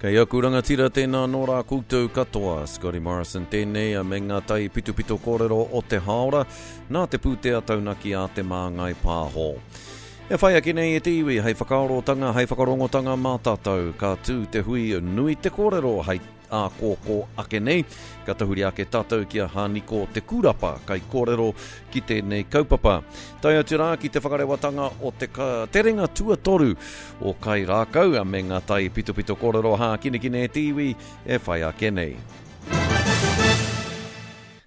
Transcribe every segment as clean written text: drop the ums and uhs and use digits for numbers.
Kei aku rangatira tēnā nō rā koutou katoa. Scotty Morrison tēnei me ngā tai pitopito kōrero o te hāora nā te pūtea taunaki a Te Māngai Pāho. E whai ake nei e te iwi hei whakaarotanga, hei whakarongotanga mā tātou. Ka tū te hui nui te kōrero hei ākōkō ake nei, ka tahuri ake tātou ki a Haniko Te Kūrapa, kaikōrero ki tēnei kaupapa. Tae atu rā ki te whakarewatanga o te terenga tuatoru o Kai Rākau me ngā tai pitopito kōrero hākinakina e te iwi e whai ake nei.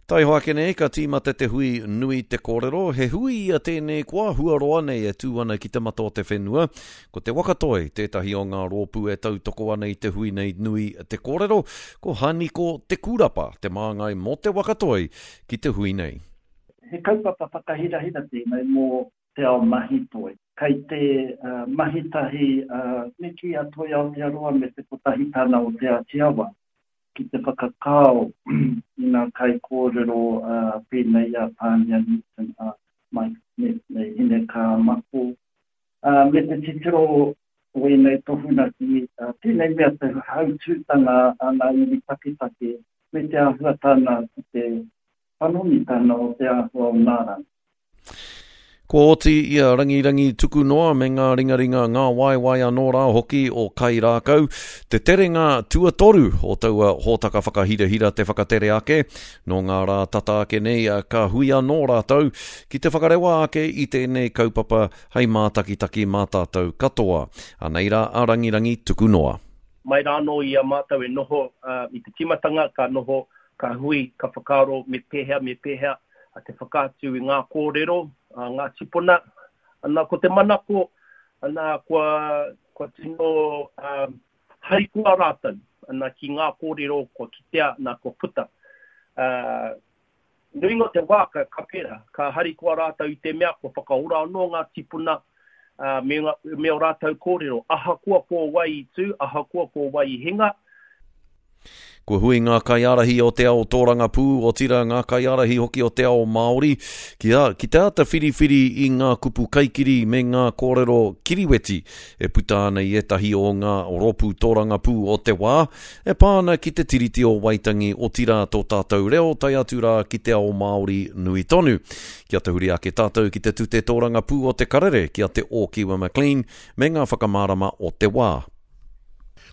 Taihoa ake nei ka tīmata te hui nui te kōrero, he hui ia tēnei kua hua roa nei e tū ana ki te mata o te whenua. Ko Te Waka Toi tētahi o ngā rōpū e tautoko ana i te hui nei nui te kōrero, ko Haniko Te Kūrapa te māngai mō Te Waka Toi ki te hui nei. He kaupapa whakahirahira tēnei mō te ao mahi toi. Kei te mahi tahi a Nikki a Toi Aotearoa me te Kotahitanga o Te Āti Awa ki te whakakao i ngā kaikōrero pēnei i a Pānia Newton, a Mike Smith me Hinekaa Mako, me te titiro o ēnei tohunga ki tēnei mea te hautūtanga a ngā iwi taketake me te āhuatanga ki te panonitanga o te āhua o ngā rangi. Kua oti i a Rangirangi Tukunoa me ngā ringaringa ngā waewae anō rā hoki o Kai Rākau te terenga tuatoru o taua hōtaka whakahirahira te whakatere ake. Nō ngā rā tata ake nei ka hui anō rātou ki te whakarewa ake i tēnei kaupapa hei mātakitaki mā tātou katoa. Anei rā a Rangirangi Tukunoa. Mai rā anō i a mātou e noho i te tīmatanga ka noho, ka hui, ka whakaaro me pēhea, me pēhea te whakaatu i ngā kōrero a ngā tīpuna. Ana, ko te manako, ana, kua, kua tino um, harikoa rātou ana, ki ngā kōrero kua kitea, ana, kua puta. Uh, nuinga o te wā ka, ka pērā, ka harikoa rātou i te mea kua whakaora anō ngā tīpuna uh, me, ngā, me o rātou kōrero, ahakoa ko wai i tū, ahakoa ko wai i hinga, Kua hui ngā kaiārahi o te ao tōrangapū, otirā ngā kaiārahi hoki o te ao Māori, ki a, ki te āta whiriwhiri i ngā kupu kaikiri me ngā kōrero kiriweti e puta ana i ētahi o ngā rōpū tōrangapū o te wā, e pā ana ki te Tiriti o Waitangi, otirā tō tātou reo tae atu rā ki te ao Māori nui tonu. Kia tahuri ake tātou ki te tute tōrangapū o Te Karere ki a Te Ōkiwa McLean me ngā whakamārama o te wā.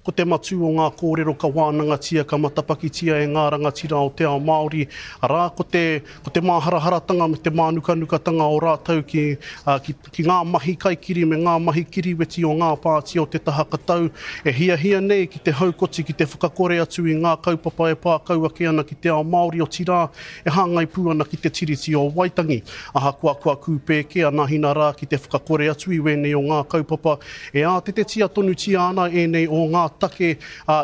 Ko te matū o ngā kōrero ka wānangatia, ka matapakitia e ngā rangatira o te ao Māori, arā, ko te, ko te māharaharatanga me te mānukanukatanga o rātou ki, ki, ki ngā mahi kaikiri me ngā mahi kiriweti o ngā pāti o te taha katau e hiahia nei ki te haukoti, ki te whakakore atu i ngā kaupapa e pā kau ake ana ki te ao Māori, otirā, e hāngai pū ana ki te Tiriti o Waitangi. Ahakoa kua kūpē kē a Nahina rā ki te whakakore atu i wēnei o ngā kaupapa, e ātetetia tonutia ana ēnei o ngā take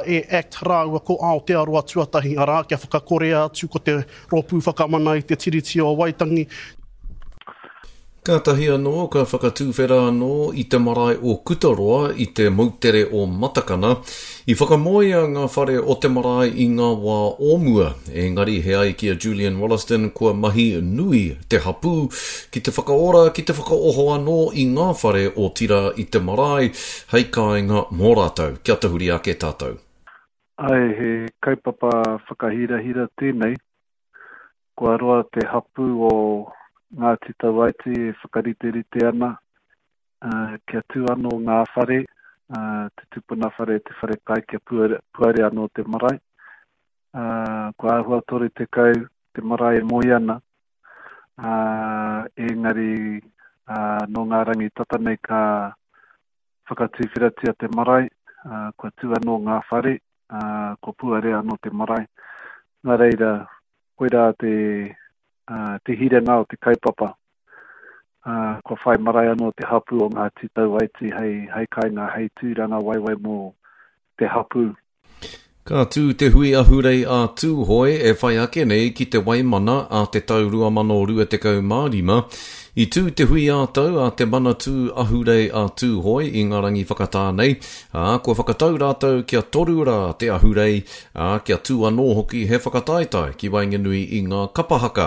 e act rāua ko Aotearoa Tuatahi, arā, kia whakakorea atu ko te Rōpū Whakamana i te Tiriti o Waitangi. Kātahi anō ka whakatuwhera anō i te marae o Kutaroa i te moutere o Matakana. I whakamoea ngā whare o te marae i ngā wā o mua, engari he ai ki a Julian Wollaston kua mahi nui te hapū ki te whakaora, ki te whakaoho anō i ngā whare otirā i te marae hei kāinga mō rātou. Kia tahuri ake tātou. Āe, he kaupapa whakahirahira tēnei. Kua roa te hapū o Ngāti Tauaiti e whakariterite ana kia tū anō ngā whare, te tupuna whare, te whare kai, kia puare anō te marae. Kua āhua 30 te marae e moe ana, engari nō ngā rangi tata nei ka whakatuwheratia te marae, kua tū anō ngā whare, kua puare anō te marae. Nā reira, koirā te, te hiranga o te kaupapa. Kua whai marae anō te hapū o Ngāti Tauaiti hei, hei kainga, hei tūranga waiwai mō te hapū. Ka tū te hui ahurei a Tūhoe e whai ake nei ki te Waimana a te tau 2025. I tū te hui ā-tau a Te Manatū Ahurei a Tūhoe i ngā rangi whakatā nei, ā, kua whakatau rātou kia toru rā te ahurei, ā, kia tū anō hoki he whakataetae ki waenganui i ngā kapa haka.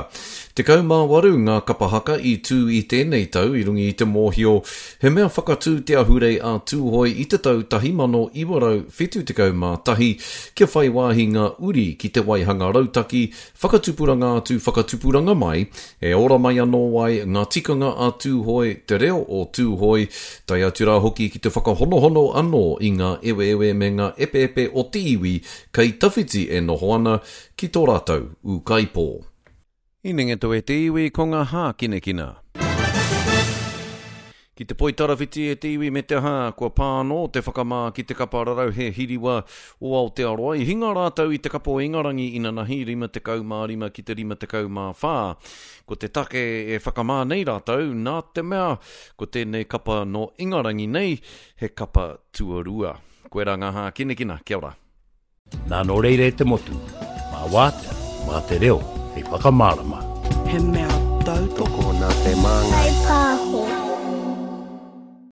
18 ngā kapa haka i tū i tēnei tau i runga i te mōhio he mea whakatū te ahurei a Tūhoe i te tau 1971 kia whai wāhi ngā uri ki te waihanga rautaki Whakatupuranga atu, whakatupuranga mai, e ora mai anō ai ngā tikanga a Tūhoe, te reo o Tūhoe, tae atu rā hoki ki te whakahonohono anō i ngā eweewe me ngā epeepe o te iwi kei tawhiti e noho ana ki tō rātou ūkaipō. Inengeto e te iwi ko ngā hākinakina. Ki te poitarawhiti e te iwi me te aha, kua pā anō te whakamā ki te kapa rarauhe hiriwa o Aotearoa. I hinga rātou i te kapa o Ingarangi inanahi, 55 ki te 54. Ko te take e whakamā nei rātou, nā te mea, ko tēnei kapa nō Ingarangi nei, he kapa tuarua. Koirā ngā hākinakina. Kia ora. Nā nō reira e te motu, mā wātea, mā te reo hei whakamārama. He mea tautoko. Tokona te māngai. Whai pā.